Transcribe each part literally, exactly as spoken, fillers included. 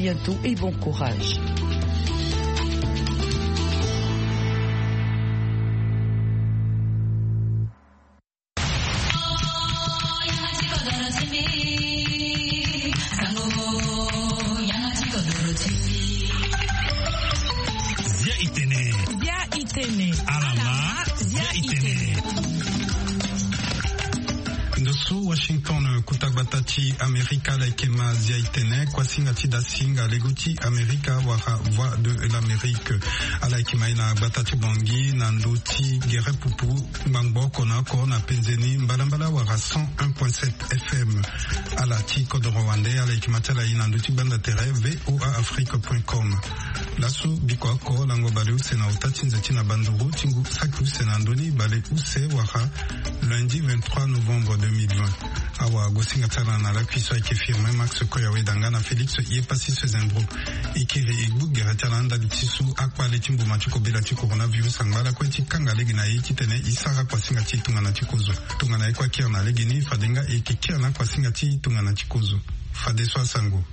Bientôt et bon courage. Zia itene. Zia itene. Alama. Zia itene. Ndo so Washington, kota gbata ti Amerika, ala yeke ma zia itene. Kuasinga ti dasinga lego ti Amerika wala Voix de l'Amérique, ala yeke ma ye na gbata ti Bangui na ndö ti gere pupu ngbangbo oko na oko na penze ni mbalambala wala cent un point sept F M. Ala ti kodoro wande, ala yeke ma ti ala ye na ndö ti gbanda tere V O A Afrique point com. Laso biko oko lango baleuse na ota ti nze ti na banduru ti ngu saki use na ndö ni baleuse wala lundi vingt-trois novembre deux mille vingt. Awa gosinga ti ala na lakui so ayeke Firmin Max Koyaweda nga na Félix Yepassis Sezembro. E kiri e gbu gere ti ala ndali ti so akpale ti mbuma ti kobela ti coronavirus angba lakue ti kanga lege na e titene e sara kuasinga ti e tongana ti kozo. Tongana e kue akiri na lege ni, fade nga e yeke kiri na akuasinga ti e tongana ti kozo. Fadeso asango.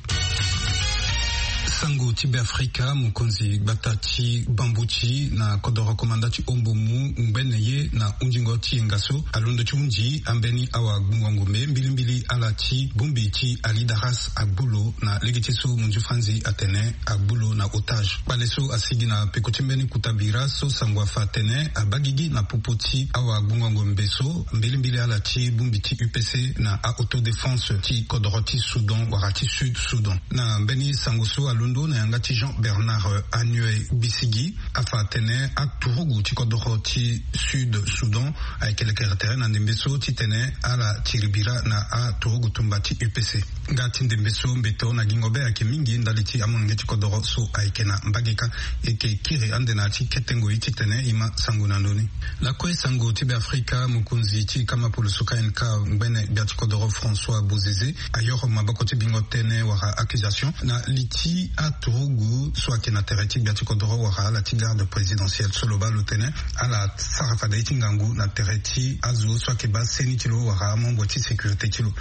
Sango ti Beafrika, mokonzi gbata ti Bambuti na kodoro komanda ti Ombomu ngbene ye na hundingo ti yenga so alondo ti hundi ambeni awa gbungo ngombe mbilimbili ala ti bongbi ti Alidaras agbu lo na lege ti so munzu franzi atene agbu lo na otage. Kpale so asigi na peko ti mbeni kota bira so sango afa atene abaa gigi na popo ti awa gbungo ngombe so mbilimbili ala ti bongbi ti U P C na a-autodéfense ti kodoro ti Soudan wala ti Sud Soudan. Na mbeni sango so alondo na yanga ti Jean Bernard Anue Bisigi, afa atene aturugu ti kodoro ti Sud Soudan ayeke lekere tere na ndembe so titene ala tiri bira na aturugu tumba ti U P C. Nga ti ndembe so mbeto na gingo be ayeke mingi ndali ti amolenge ti kodoro so ayeke na mbage kâ. E yeke kiri ande na ya ti kete ngoi titene e ma sango na ndö ni. Lakue sango ti Beafrika, mokonzi ti kama poloso K N K ngbene gbia ti kodoro François Bozizé ayoro maboko ti bingo tënë wala accusation na li ti aturugu so ayeke na tere ti gbia ti kodoro wala ala ti garde présidentielle so lo baa lo tene ala sara fade ye ti ngangu na tere ti azo so ayeke baa seni ti lo wala amembre ti sécurité ti lo.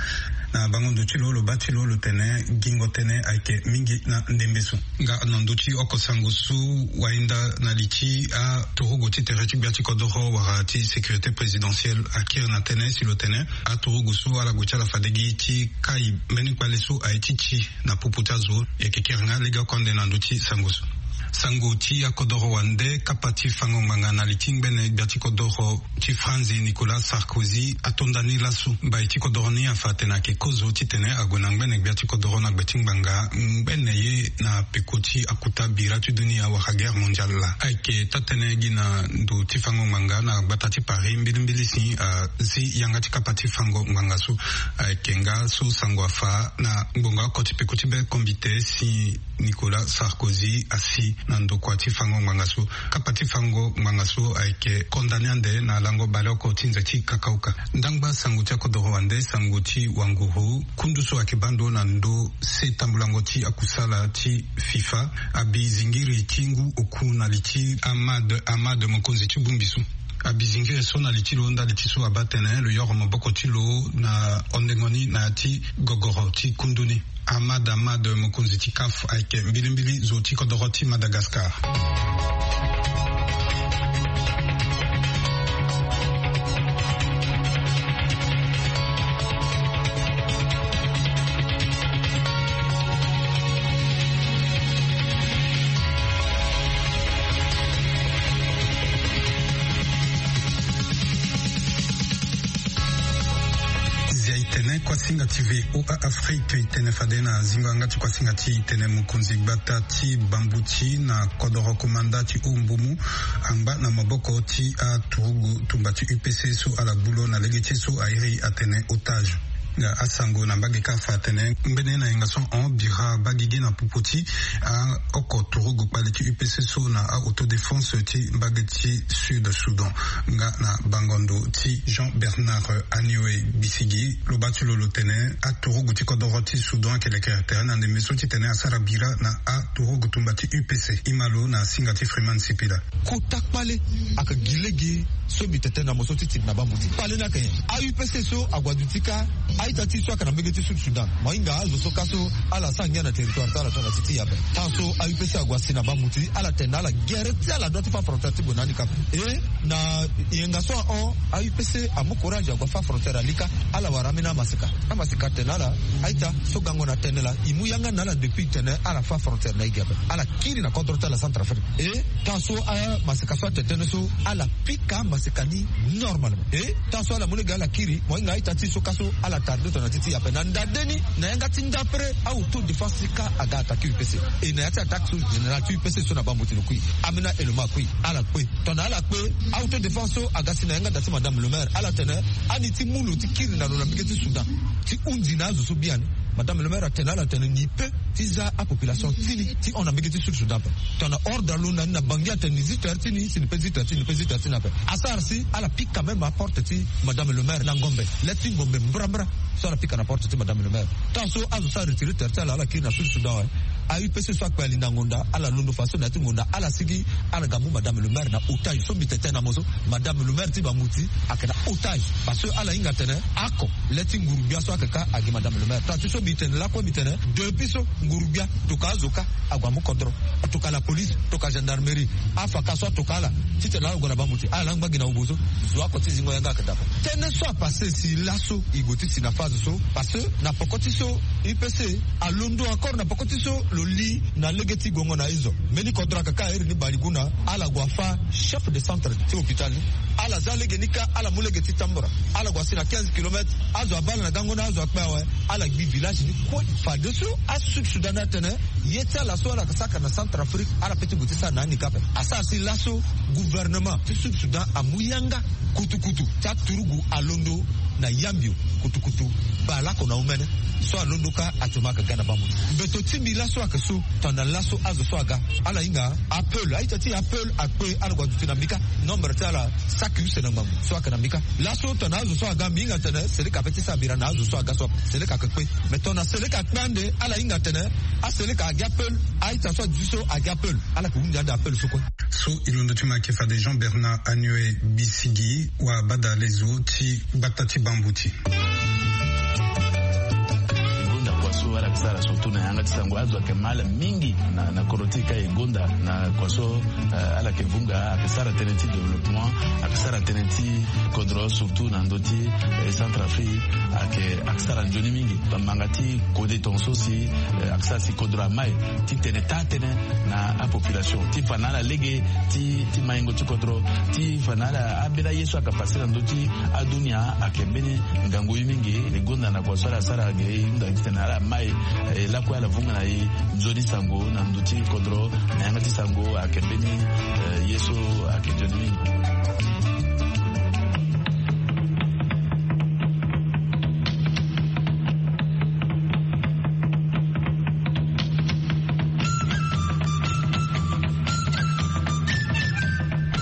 Na bango ndo ti lo, lo baa ti lo lo tene gingo tënë ayeke mingi na ndembe so. Nga na ndö ti oko sango so wahinda na li ti aturugu ti tere ti gbia ti kodoro wala ti sécurité présidentielle akiri na tënë si lo tene aturugu so ala gue ti ala fade gi ti kai mbeni kpale so aye ti ti na popo ti azo. E yeke kiri nga legeoko ande na ndö ti sango so. Sango ti akodoro wande, kapa ti fango ngbanga na li ti ngbene gbia ti kodoro ti Franzi Nicolas Sarkozy ato nda ni laso. Mbai ti kodoro ni afa atene ayeke kozo titene ague na ngbene gbia ti kodoro na gbe ti ngbanga ngbene ye na peko ti akuta bira ti dunia wala guerre mondiale laa. Ayeke taa-tënë gi na ndo ti fango ngbanga na gbata ti Paris mbilimbili si azi yanga ti kapa ti fango ngbanga so. Ayeke nga so sango afa na ngbonga oko ti peko ti be kombite si Nicolas Sarkozy asi na ndokua ti fango ngbanga so. Kapa ti fango ngbanga so ayeke condamné ande na lango baleoko ti nze ti kakauka. Ndangba sango ti akodoro wande, sango ti wanguru, kundu so ayeke baa ndo na ndö se tambulango ti akusala ti FIFA abi zingiri ti ngu oku na li ti Ahmad Ahmad, mokonzi ti bongbi so. Abi zingiri so na li ti lo ndali ti so abaa tene lo yoro maboko ti lo na hondengo ni na ya ti gogoro ti kundu ni. Ahmad Ahmad, mokonzi ti CAF, ayeke mbilimbili zo ti kodoro ti Madagascar. Zia itene kuasinga ti V O A Afrique itene fade na zingo yanga ti kuasinga ti itene mokonzi gbata ti Bambuti na kodoro komanda ti Ombomu angba na maboko ti aturugu tumba ti U P C so ala gbu lo na lege ti so airi atene otage. Nga asango na mbage kâ afa atene ngbene na yenga so ahon bira baa gigi na popo ti aoko turugu kpale ti U P C so na a-autodéfense ti mbage ti Sud Soudan. Nga na bango ndo ti Jean Bernard Anioe Bisigi, lo baa ti lo lo tene aturugu ti kodoro ti Soudan ayeke lekere tere na ndembe so titene asara bira na aturugu tumba ti U P C. E ma lo na singa ti Freeman Sipila. Kota kpale ayeke gi lege so mbi tene tënë na mo so ti tiri na Bambuti. Kpale ni ayeke nyen? A-U P C so ague aduti kâ. Ita ti so ayeke na mbege ti Sud Soudan, mo hinga azo so ka so ala sara ngia na territoire ti ala tongana ti ti e ape. Tan so a U P C ague asi na bambuti, ala tene na ala gere ti ala dua ti fa frontière ti gue na ni ka ape. E na yenga so ahon, a U P C amu courage ague afa frontière ali ka. Ala wara ambeni amaseka. Amaseka atene na ala, a-ita, so gango na tene laa, e mu yanga na ala depuis tene ala fa frontière na e ge ape. Ala kiri na kodro ti ala Centrafrique. E tan so amaseka so atene tënë so, ala pika amaseka ni normalement. E tan so ala mu lege ala kiri, mo hinga a-ita ti e so ka so ala tarde tongana ti ti e ape. Na ndade ni, na yanga ti ndapre, a-autodéfense ti ka aga attaqué U P C. E na ya ti attaque so, général ti U P C so na bambuti lo kui, ambeni a-élément akui, ala kpe. Tongana ala kpe, a-autodéfense so aga si na yanga da ti madame le maire, ala tene, ani ti mu lo ti kiri na lo na mbege ti Soudan ti hunzi na azo so biani. Madame le maire atene na ala tene ni pe ti za apopulation ti ni ti hon na mbege ti Sud Soudan ape. Tongana ordre alo na ni na Bangui atene ni zi terre ti ni, si ni pe zi terre ti ni, ni pe zi terre ti ni ape. Asara si ala pika même aporte ti madame le maire na ngombe, le ti ngombe mbrambra. So ala pika na porte ti madame le maire. Tan so azo so aretire terre ti ala, ala kiri na Sud Soudan awe. A U P C so akpe alinda ngonda, ala londo fadeso na ya ti ngonda, ala sigi, ala ga mu madame le maire na otage. So mbi tene na mo so, madame le maire ti bambuti ayeke na otage. Parce que ala hinga tene oko, le ti nguru-gbia so ayeke ka agi madame le maire. Tongana ti so mbi tene lakue, mbi tene depuis so nguru-gbia, tokua azo ka ague amu kodro, tokua la police, tokua gendarmerie, afaka so atokua ala titene ala gue na bambuti, ala laa ngba gi na obo so. Zo oko ti zingo yanga ayeke daa ape. Tënë so apassé si laso e gue ti si na phase so, parce que na poko ti so U P C alondo encore na poko ti so lo li na lege ti guengo na Ezo. Mbeni kodro ayeke ka iri ni Baliguna, ala gue afa chef de centre ti hôpital ni. Ala za lege ni ka, ala mu lege ti Tambura, ala gue asi na quinze kilomètres. Azo abaa ala na gango ni, azo akpe awe, ala gbi village ni kue. Fadeso aSud Soudan atene ye ti ala so ala yeke saka na Centrafrique, ala pe ti gue ti sara na ni ka ape. Asara si laso gouvernement ti Sud Soudan amu yanga kutukutu ti aturugu alondo na Yambio, kutukutu baleoko na omene. So alondo ka actuellement ayeke ga na bambuti. Mbeto ti mbi laso ayeke so, tongana laso azo so aga, ala hinga apeul, a-ita ti apeul akpe, ala gue aduti na mbi ka. Nombre ti ala saki use na ngbangbo so ayeke na mbi ka. Laso tongana azo so aga, mbi hinga tene Seleka ape ti sara bira na azo so aga so ape. Seleka ayeke kpe. Mais tongana Seleka akpe ande, ala hinga tene aSeleka agi apeul, a-ita so aduti so agi apeul, ala yeke hunzi ande apeul so kue. So e londo ti mo ayeke fade Jean Bernard Anyoe Bisigi, wabadalezo ti gbata ti bambuti. E gonda kua so ala yeke sara surtout na yanga ti sango, azo ayeke ma ala mingi na, na kodro ti e ka e gonda na kua so, eh, ala yeke vunga, ayeke sara tënë ti développement, ayeke sara tënë ti kodro surtout na ndö ti, eh, Centrafrique, ayeke, ayeke sara nzoni mingi. Bamanga ti kode tongaso si, eh, ayeke sara si kodro amai ti tene taa tënë na apopulation, ti fa na ala lege ti, ti maingo ti kodro, ti fa na ala ambeni aye so ayeke passe na ndö ti adunia, ayeke mbeni ngangu ye mingi. E gonda na kua so ala sara ge, e hunda titene ala mai, eh, lakue ala vunga na e nzoni sango na ndö ti kodro, na yanga ti sango ayeke mbeni, eh, ye so ayeke nzoni mingi.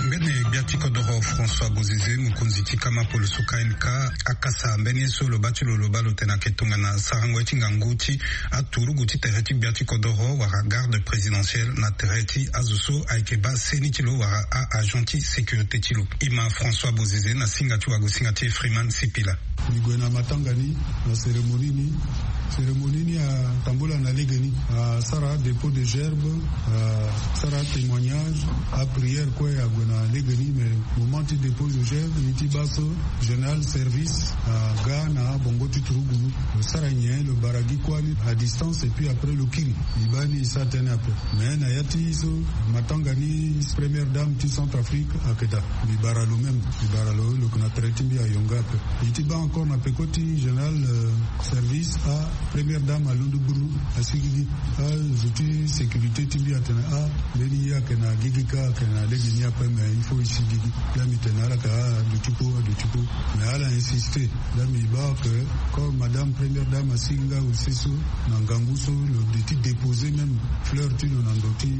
Mbeni gbia ti kodoro François Bozizé, mokonzi ti kama poloso K N K, akasa mbeni ye so lo baa ti lo, lo baa lo tene ayeke tongana sarango ye ti ngangu ti aturugu ti tere ti gbia ti kodoro wala garde présidentielle na tere ti azo so ayeke baa seni ti lo wala a-agent ti sécurité ti lo. E ma François Bozizé na singa ti wagosinga ti e Freeman Sipila. Mbi gue na matanga ni, na cérémonie ni. Cérémonie ni atambula na lege ni. Asara dépôt de gerbe, asara témoignage, aprière kue ague na lege ni, mais moment ti dépôt de gerbe, ni ti baa so général service aga na bongo ti turugu. Lo sara nyen, lo bara gi kuâ ni à distance et puis après lo kiri. Mbi baa ni e sara tënë ape. Mais na ya ti so matanga ni, première dame ti Centrafrique ayeke daa. Mbi bara lo même, mbi bara lo, lo yeke na tere ti mbi ayonga ape. Mbi ti baa encore na peko ti général, euh, service, a première dame alondo gburu, asigi gi. Azo ti sécurité ti mbi atene, ah, mbeni ye ayeke na gigi ka, ayeke na lege ni ape, mais il faut e sigi gi. Laa mbi tene na ala ka, ah, aduti kpo, aduti kpo. Mais ala insisté. Laa mbi baa que comme madame première dame asigi nga use so, na ngangu so lo de ti déposer même fleur ti lo na ndo ti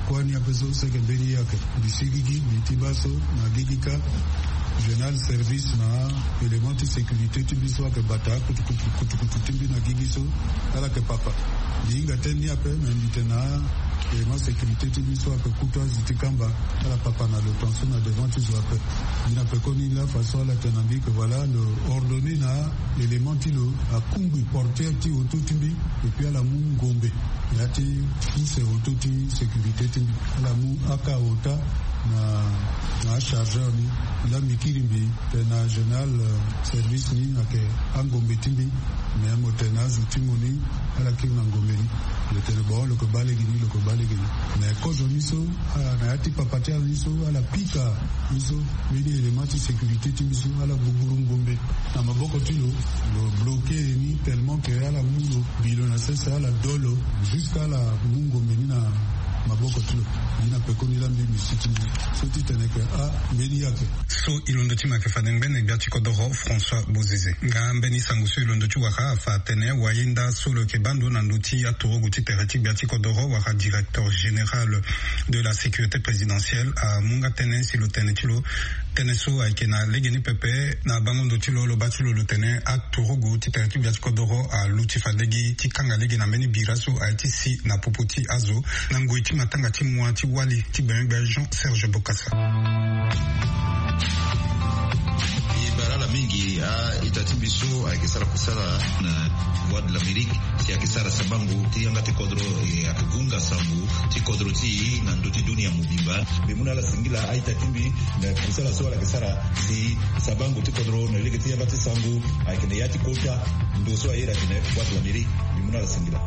kuâ ni ape so, seke mbeni ye ayeke. Mbi sigi gi, mbi ti baa so na gigi ka, général service na élément ti sécurité ti mbi so ayeke bata kutukutu, kutukutu ti mbi na gigi so, ala yeke papa. Mbi hinga tënë ni ape, mais mbi tene na Élément sécurité ti biso ape kutu azi ti kamba, ala papa na lo tongaso na devant ti zo ape. Ni na pekoni la façon ala tene na mbi ke voilà lo ordonné na élément ti lo akungbi portière ti auto ti mbi, et puis ala mu ngombe ya ti pousse auto ti sécurité ti mbi. Ala mu aka ota na na achargeur ni. La mbi kiri mbi tene na général service ni ayeke angombe ti mbi. Mais mo tene na azo ti mo ni ala kiri na ngombe ni. Lo tene bon lo ke baa lege ni, lo ke baa lege ni. Mais kozo ni so, na ya ti papa ti ala ni so ala pika ni so, mbeni élément ti sécurité ti mbi so ala gbugburu ngombe na maboko ti lo. Lo bloqué ni tellement ke ala mu lo bi lo na sese, ala do lo jusqu'à ala mu ngombe ni na maboko ti lo. Ni na pekoni la mbi mbi si ti mbi so ti tene ke ah mbeni ya ke. So e londo ti ma ke fade ngbene gbia ti kodoro François Bozizé. Nga mbeni sango so e londo ti wara afa atene wayenda so lo yeke baa ndo na ndö ti aturugu ti tere ti gbia ti kodoro wala directeur général de la sécurité présidentielle amu nga tënë si lo tene ti lo. Tënë so ayeke na legeni pepe na bango ndo ti lo, lo baa ti lo lo tene aturugu ti tere ti gbia ti kodoro aluti fade gi ti kanga lege na mbeni bira so aye ti si na popo ti azo. Na ngoi ti matanga ti mua ti wali ti gbengbengbe Jean Serge Bokassa. E bara ala mingi a-ita ti mbi so ayeke sara kusala na Voix de l'Amérique si ayeke sara sabango ti yanga ti kodro, e, ayeke gunga sango ti kodro ti e na ndö ti dunia mobimba. Mbi mu na ala singila a-ita ti mbi na kusala so ala yeke sara si sabango ti kodro na lege ti yanga ti sango ayeke na ya ti kota ndo so aye atene Voix de l'Amérique. Mbi mu na ala singila.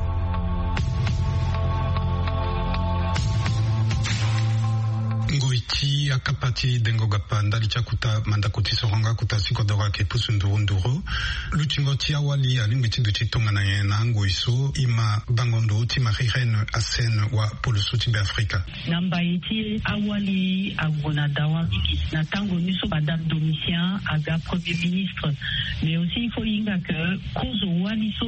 Ngoi ti akapa ti dengo gapa ndali ti akuta mandako ti soronga akuta ti kodoro ayeke pusu nduru nduru. Lutingo ti awali alingbi ti duti tongana nyen na angoi so? E ma bango ndo ti Marie Reine Hassen wa poloso ti Beafrika. Na mbai ti awali ague na dawa mingi na tango ni so madame Domitien aga premier ministre. Mais aussi il faut hinga que kozo wali so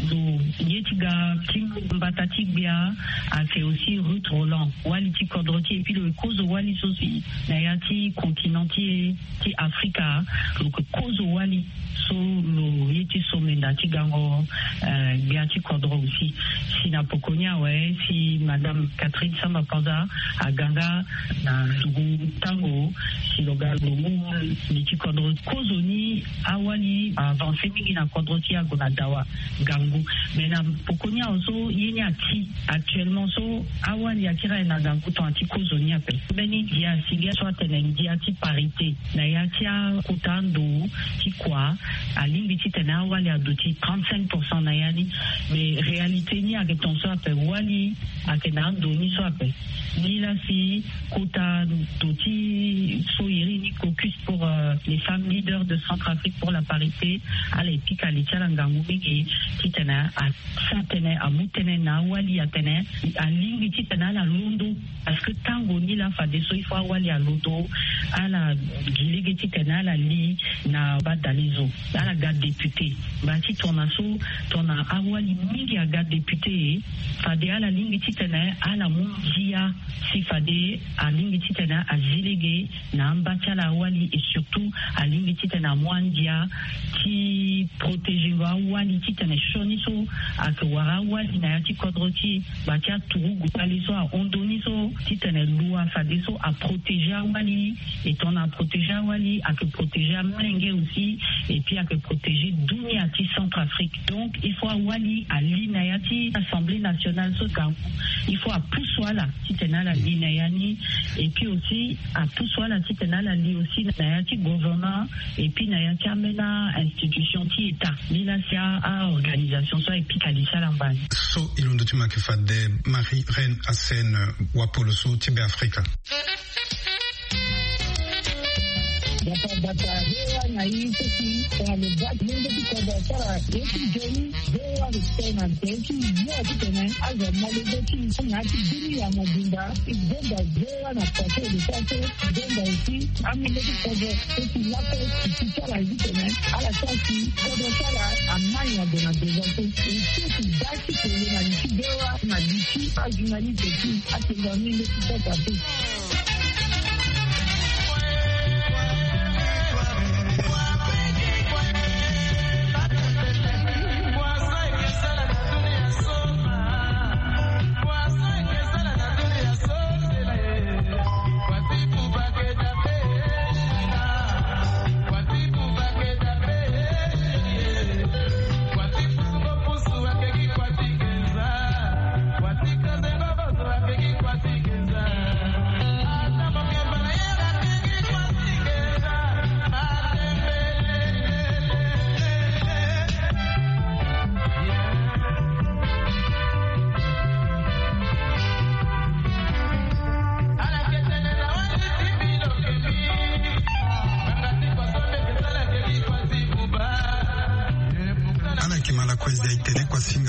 lo ye ti ga ti mbata ti gbia ayeke aussi Ruth Roland, wali ti kodro ti e, et puis lo kozo wali so si na ya ti continent ti e ti Afrika. Lo yeke kozo wali so lo ye ti somenda ti gango, eh, gbia ti kodro aussi. Si na poko ni awe si madame Catherine Samba Panza aga nga na ndugu tango si lo ga lo mu li ti kodro. Kozo ni awali avance mingi na kodro ti e ague na dawa ngangu. Mais na poko ni awe so ye ni ati actuellement so awali akiri aye na ngangu tongana ti kozo ni ape. Mbeni ndia si ngia so atene ndia ti parité na ya ti akota ando ti kua. Alingbi titene awali aduti trente-cinq pour cent na ya ni. Mais réalité ni ayeke tongaso ape, wali ayeke na ando ni so ape. Ni laa si kota ndo ti so iri ni caucus pour, euh, les femmes leaders de Centrafrique pour la parité, ala ye pika li ti ala ngangu mingi titene a sa tënë amu tënë na awali atene alingbi titene ala londo. Parce que tango ni laa fadeso il faut awali alondo, ala gi lege titene ala li na badalezo, ala ga député. Mba ti tongana so, tongana awali mingi aga député, fade ala lingbi titene ala mu ndia si fade alingbi titene azi lege na amba ti ala awali, et surtout alingbi titene amu andia ti protéger awali titene sioni so ayeke wara awali na ya ti kodro ti e, mba ti aturugu kpale so ahon ndo ni so titene lo afadeso aprotéger awali. Et tongana aprotéger awali ayeke protéger amolenge aussi, et puis ayeke protéger dunia ti Centrafrique. Donc il faut awali ali na ya ti Assemblée nationale so gangu. Il faut apusu ala titene ala li na ya ni. Et puis aussi apusu ala titene ala li aussi na ya ti gouvernement, et puis na ya ti ambeni institution ti état. Ni laa si a, a organisation so aye pika li ti ala mbani. So e londo ti ma ayeke fade Marie Reine Hassen, wa poloso ti Beafrika. Bata bata, V O A na i so si tongana lo baa ti lenge ti kodro asara ye ti nzoni, V O A respect na nze ti yo titene azo amolenge ti i so na ya ti dunia mobimba. I gbonga V O A na pase de pase, i gbonga aussi amolenge ti kodro so si laso si ti ti ala titene ala sara si kodro ti ala amai na gue na devant so. I so si baa ti kele na li ti V O A na li ti ajournaliste ti atengo amolenge ti kodro ape.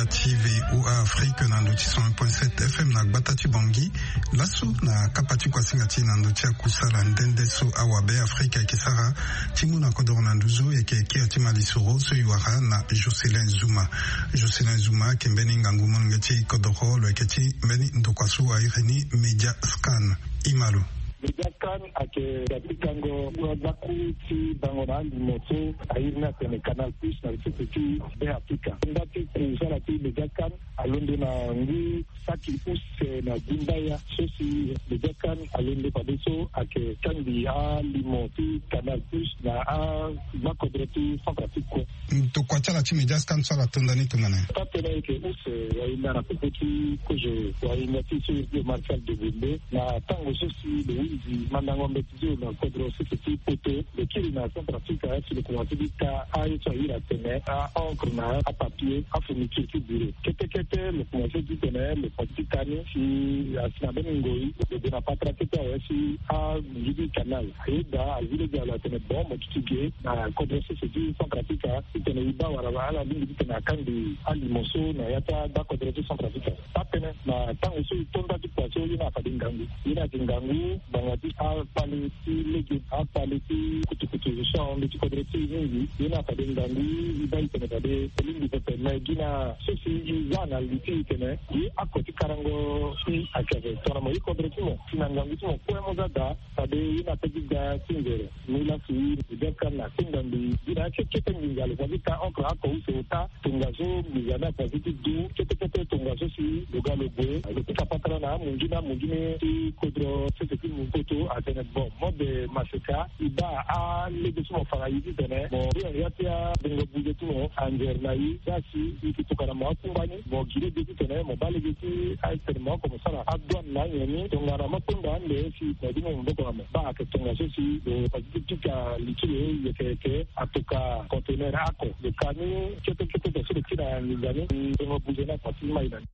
Ti VOA Afrique na ndo ti cent un point sept F M na gbata ti Bangui. Laso na kapa ti kuasinga ti e na ndo ti akusala nde nde so awabe Afrika ayeke sara ti mu na kodoro na nduzu, e yeke kiri ti malisoro so e wara na Jocelyn Zuma. Jocelyn Zuma ayeke mbeni ngangu molenge ti kodoro, lo yeke ti mbeni ndokua so a iri ni Media Scan. E ma lo. Media Scan ayeke ga ti kango kura gbaku ti bango na alimo so a iri ni atene Canal Plus na sese ti Be Afrika. Nda ti kusala ti Media Scan alondo na ngu saki use na dimbaya so si Media Scan alondo fade so ayeke kangbi alimo ti Canal Plus na agbakodro ti Centrafrique kue. Tokua ti ala ti Media Scan so ala to nda ni tongana nyen? Taa-tënë ayeke use wahinda na popo ti kozo wahinda ti so iri ti Martial Degonde na tango so si lo hunzi mandango mbeti ti lo na kodro sese ti Poto, lo kiri na Centrafrique si lo komanse ti ta aye so a iri atene a-encre na apapier, afourniture ti bureau. Kete kete lo komanse ti tene lo komanse ti ta ni si asi na mbeni ngoi lo gue na patara kete awe si aguingi ti canal. Ayeda azi lege na lo atene bon mo duti ge na kodro sese ti Centrafrique titene e baa wala ala lingbi titene akangbi alimo so na ya ti agbakodro ti Centrafrique. Taa-tënë na tango so e to nda ti kua so ye ni afade ngangu. Ye ni ayeke ngangu ngbanga ti akpale ti lege, akpale ti kutukutu so ahon ndö ti kodro ti e mingi. Ye ni afade ngangu e baa e tene fade e lingbi pepe me gi na so si e za na li ti e tene ye ako ti karango si ayeke ape tongana mo ye kodro ti mo si na ngangu ti mo kue mo za daa. Fade ye ni ape ti ga ti nzere. Mu laso e Media Scan na atinda mbi gi na akekete nginza lo fa ti ta encre oko use ota. Tongaso nginza ni afa ti ti du kete kete tongaso si lo ga lo gue lo pika patara na amungi ni amungi ni ti kodro sese ti Poto atene bon mode maseka e baa alege so mo fa na e titene mo ya ti abongo buze ti mo anzere na e. Za si e yeke tokua na mo akungba ni mo gi lege titene mo baa lege ti atene mo oko mo sara adouane na anyen ni tongana mo akpengba ande si na e ti mo maboko na mo. Baa ayeke tongaso si lo fa ti ti pika li ti lo yeke yeke atoka conteneur oko. Lo ka ni kete kete so lo ti na nginza ni. Nzongo buze ni afa ti mai na ni.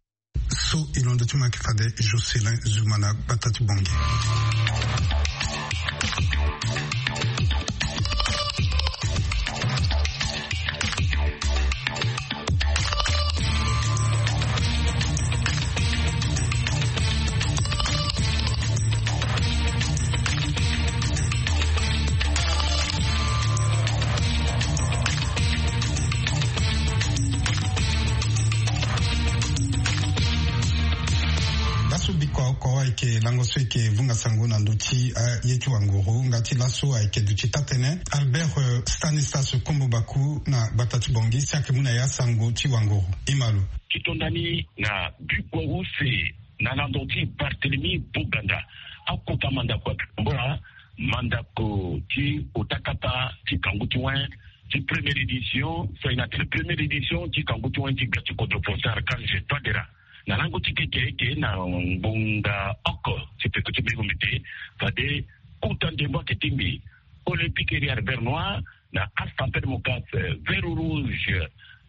So e londo ti mo ayeke fade Jocelyn Zuma na gbata ti Bangui. Laso bikua oko ayeke lango so e yeke vunga sango na ndö ti aye ti wanguru nga ti laso ayeke duti taa-tënë Albert, eh, Stanislas Kombo Baku na gbata ti Bangui si ayeke mu na e asango ti wanguru. E ma lo. Ti to nda ni na bikua use na lando ti Barthélemy Boganda akota mandako ayeke tambula mandako ti ota kapa ti kangu ti wen ti première édition so e na tene première édition ti kangu ti wen ti ga ti kodro Ponsard Carl Gestoi Dera. Na lango ti keke eke na ngbonga oko ti peko ti mbengo mbi te fade kota ndembo ayeke tingbi Olympique Ériard Vert Noir na Astampede Mokase Vert Rouge.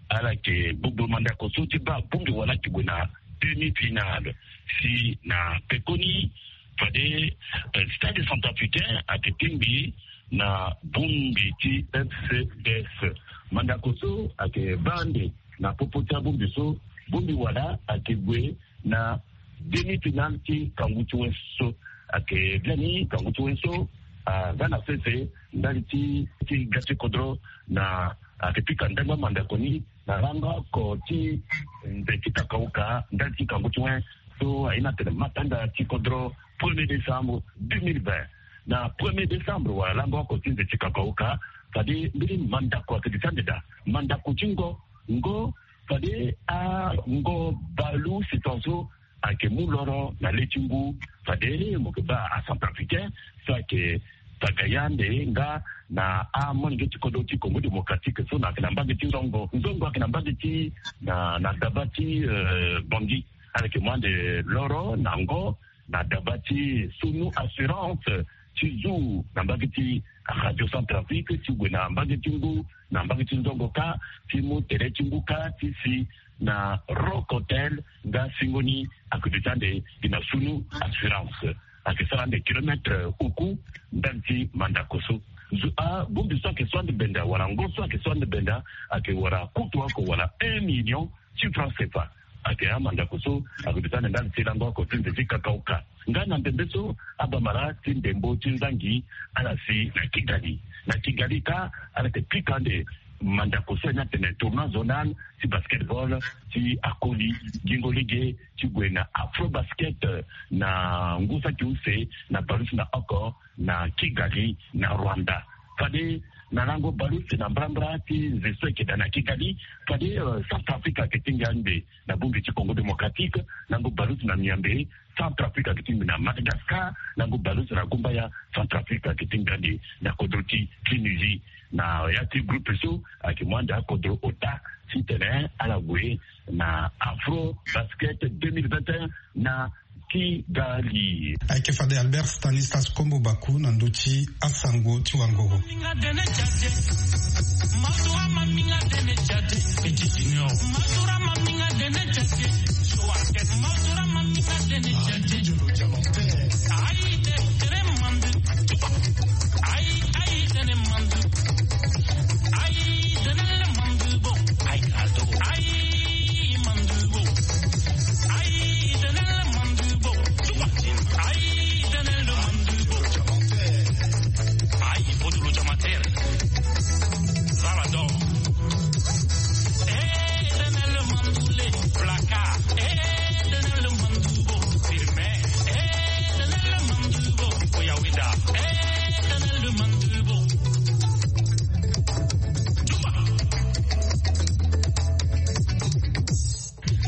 Ala yeke gbogbo mandako so ti baa bongbi wala ayeke gue na demi-finale. Si na pekoni fade, eh, Stade Centrafricain ayeke tingbi na bongbi ti F C D S. Mandako so ayeke baa ande na popo ti abongbi so, bongbi wala ayeke gue na demi-finale ti kangu ti wen so. Ayeke biani kangu ti wen so aga na sese ndali ti ti ga ti kodro na ayeke pika ndangba mandako ni na lango oko ti nze ti kakauka ndali ti kangu ti wen so aye ni atene matanga ti kodro premier décembre deux mille vingt. Na premier décembre wala lango oko ti nze ti kakauka fade mbeni mandako ayeke duti ande daa. Mandako ti ngo, ngo fade ango baleuse ton so ayeke mu loro na le ti ngu. Fade mo yeke baa acentrafricain so ayeke taga ye ande nga na amolenge ti kodro ti Congo Démocratique so na ayeke na mbage ti nzongo. Nzongo ayeke na mbage ti na na daba ti, eh, Bangui. Ala yeke mu ande loro na ngo na daba ti Sunu Assurance ti zu na mbage ti Radio Centrafrique ti gue na mbage ti ngu na mbage ti nzongo kâ ti mu tere ti ngu kâ ti si na Rock Hotel nga singo ni ayeke duti ande gi na Sunu Assurance. Ayeke sara ande kilomètre oku ndali ti mandako so. Zo abongbi so ayeke so ande benda wala ngo so ayeke so ande benda ayeke wara kutu oko wala un million ti franc cefa. Ake amanzako so akoduta na ndali ti lango oko ti nze ti kakaoka. Nga na ndembe so abamara ti ndembo ti nzangi ala si na Kigali. Na Kigali ka ala yeke pika ande manzako so ni atene tournoi zonal ti basketball ti akoli gingo lege ti gue na Afrobasket na ngu saki use na bale use na oko na Kigali na Rwanda. Fade na lango bale use na mbrambra ti nze so eke daa na Kigali, fade Centrafrique ake tingbi ande na bongbi ti Congo Démocratique, lango bale use na miambe Centrafrique ake tingbi na Madagascar, lango bale use na gumbaya Centrafrique ake tingbi ande na kodro ti Tunisie. Na ya ti groupe so ake mu ande akodro ota titene ala gue na Afrobasket deux mille vingt et un na Kigali. Ayeke fade Albert Stanislas Kombo Baku na ndö ti asango ti wangogo.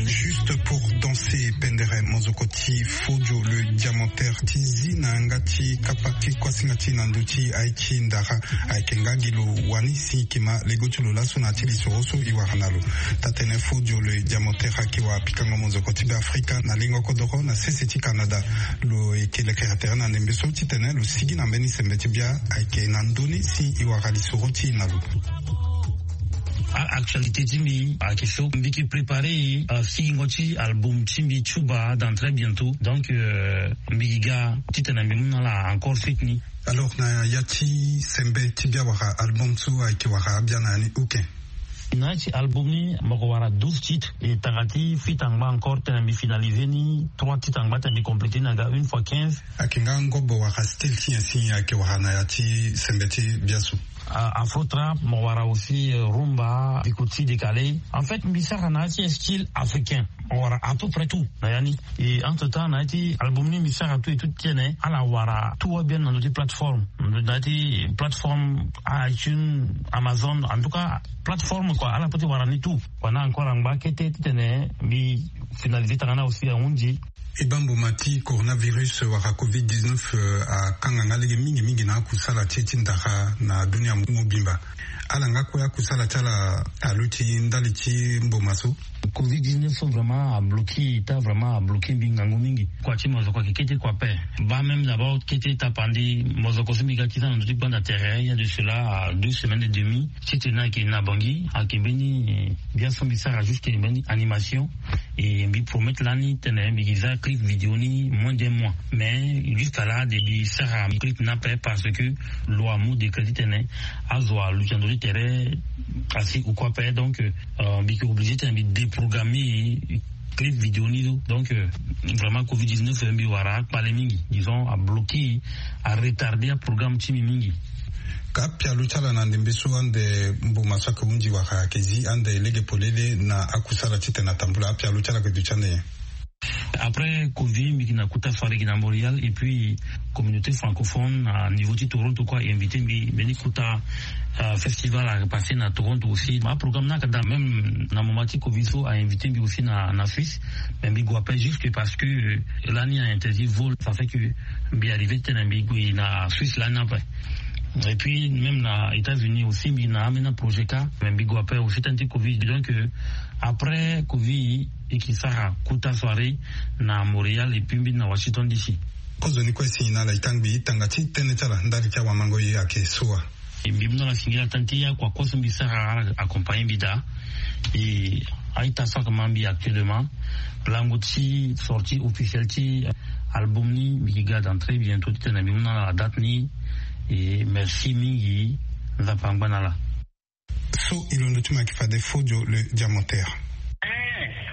Juste pour danser pendere, mozoko ti Fodio le Diamantaire ti zi na yanga ti kapa ti kuasinga ti na ndö ti aye ti ndara. Ayeke nga gi lo wani si kima lego ti lo laso na ya ti lisoro so e wara na lo. Taa-tënë Fodio le Diamantaire ayeke wara pikango mozoko ti Beafrika na lingo kodoro na sese ti Canada. Lo yeke lekere tere na ndembe so titene lo sigi na mbeni sembe ti bia ayeke na ndö ni si e wara lisoro ti e na lo. Actualité ti mbi ayeke so mbi yeke préparer sigingo ti album ti mbi Chuba dans très bientôt. Donc mbi yeke ga titene mbi mu na ala encore suite ni. Alors na ya ti sembe ti bia wala album so ayeke wara abia na ya ni? Ok. Na ya ti album ni moko wara douze titres. E tanga ti feat angba encore tene mbi finaliser ni trois titres angba tene mbi compléter ni aga une fois quinze. Ayeke nga ngobo wala style ti nyen si ayeke wara na ya ti sembe ti bia so? Afro trap, mo wara aussi rumba, bikuti, décalé. En fait mbi sara na ya ti style africain, mo wara à peu près tout na ya ni. Et entre temps na ya ti album ni mbi sara tout et tout titene ala wara tout wa bien na ndö ti plateforme, na ya ti plateforme iTunes, Amazon, en tout cas plateforme quoi, ala peut ti wara ni tout. Wana encore angba kete titene mbi finaliser tanga ni aussi ahunzi. E baa mboma ti coronavirus wala covid dix-neuf akanga nga lege mingi mingi na akusala ti e ti ndara na dunia mobimba. Ala nga kue akusala ti ala aluti ndali ti mboma so? Covid dix-neuf so vraiment abloki ita, vraiment abloki mbi ngangu mingi. Kua ti mozoko ayeke kete kua ape. Baa même d'abord kete tapandi mozoko so mbi ga ti za na ndö ti gbanda tere il y a de cela deux semaines et demie. Titene ayeke na bangi ayeke mbeni bia so mbi sara juste mbeni animation. Et mbi promettre lani tene mbi yeke za clip vidéo ni moins d'un mois. Mais jusqu'à là de mbi sara clip ni ape parce que lo amu décret titene azo aluti na ndö ti tere asi ou quoi ape. Donc mbi yeke obligé tene mbi déprogrammer clip vidéo ni. Donc vraiment covid dix-neuf mbi wara akpale mingi, disons abloki, aretarder aprogramme ti mbi mingi. Ka apialo ti ala na ndembe so ande mboma so ayeke hunzi wala ayeke zi ande lege polele na akusala titene atambula, apialo ti ala ayeke duti ande nyen? Après covid mbi yeke na kota soirée gi na Montréal et puis communauté francophone na niveau ti Toronto kue a invité mbi mbeni kota festival a repassé na Toronto aussi. Aprogramme ni ayeke daa même na moment ti covid so a invité mbi aussi na Suisse. Mais mbi gue ape juste parce que lani a interdit vol, ça fait que mbi arrivé titene mbi gue na Suisse lani ape. Et puis même na États-Unis aussi mbi na ambeni aprojet kâ, mais mbi gue ape aussi tënë ti covid. Donc après covid e yeke sara kota soirée na Montréal et puis mbi na Washington D C. Kozoni kue si na ala e tangbi tanga ti tënë ti ala ndali ti awamango e ayeke so wa? Mbi mu na ala singila tënë ti akua kue so mbi sara ala accompagner mbi daa. E a-ita so ayeke ma mbi actuellement, lango ti sortie officielle ti album ni mbi yeke ga dans très bientôt titene mbi mu na ala date ni. E merci mingi. Nzapa angba na ala. So e londo ti mo ayeke fade Fodio le Diamantaire.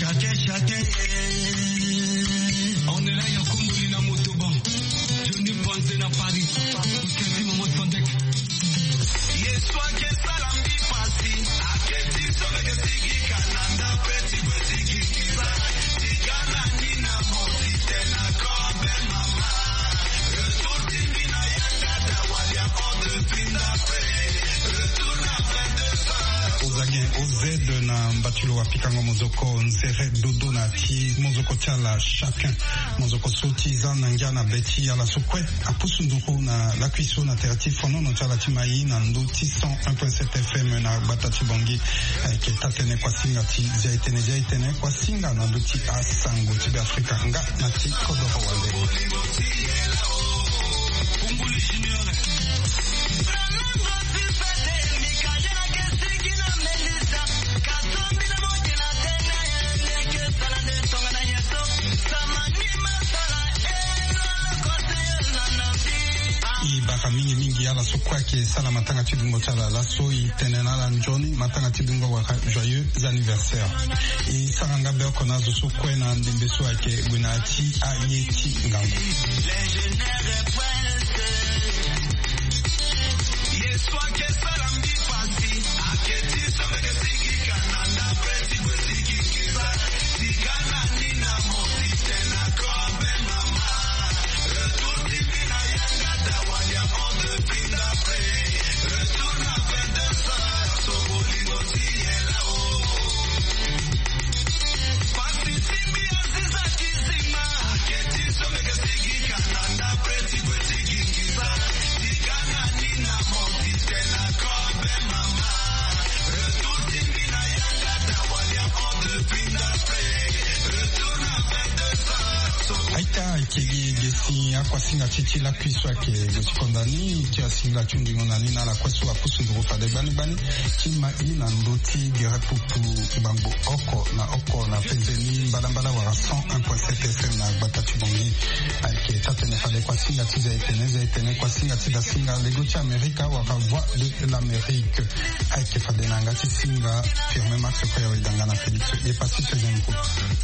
Chacun, chacun. On est là, ya komboli na motoba. Johnny Panze na Paris. Kutesi Momo Sandek. Yesu ake sala mbi pasi. Ake ti so meke sigi kananda pe ti kwe sigi kisa. Tika na ni na moti te na kobe mama. Retour ti mbi na yanga da walia on de pinda pe. Retour na vingt-deux heures. Ozagen O Z na mbatulu wa pikango mozoko nzere dodo na ti mozoko ti ala chacun. Mozoko so ti za na ngia na be ti ala so kue apusu nduru na lakui so na tere ti fonono ti ala ti mai na ndö ti cent un point sept F M na gbata ti Bangui. Ayeke taa-tënë kuasinga ti zia-e-tënë, zia-e-tënë kuasinga na ndö ti asango ti Beafrika nga na ti kodoro wande. E bara mingi mingi ala so kue ayeke sara matanga ti dungo ti ala laso, e tene na ala nzoni matanga ti dungo wala joyeux anniversaire. E sara nga be oko na azo so kue na ndembe so ayeke gue na ya ti aye ti ngangu. Aita ayeke gi gesi akuasinga ti ti lakui so ayeke gue ti konda ni ti asingila ti hungingo na ni na ala kue so apusu nduru fade gbani gbani ti ma i na ndö ti gere putu gbangbo oko na oko na penze ni mbalambala wala cent un point sept F M na gbata ti Bangui. Ayeke taa-tënë fade kuasinga ti zia-e-tënë, zia-e-tënë kuasinga ti dasinga lego ti Amerika wala Voix de l'Amérique. Ayeke fade na yanga ti singa Firmin Max Koya Wedanga na Félix Epassi Tezembo.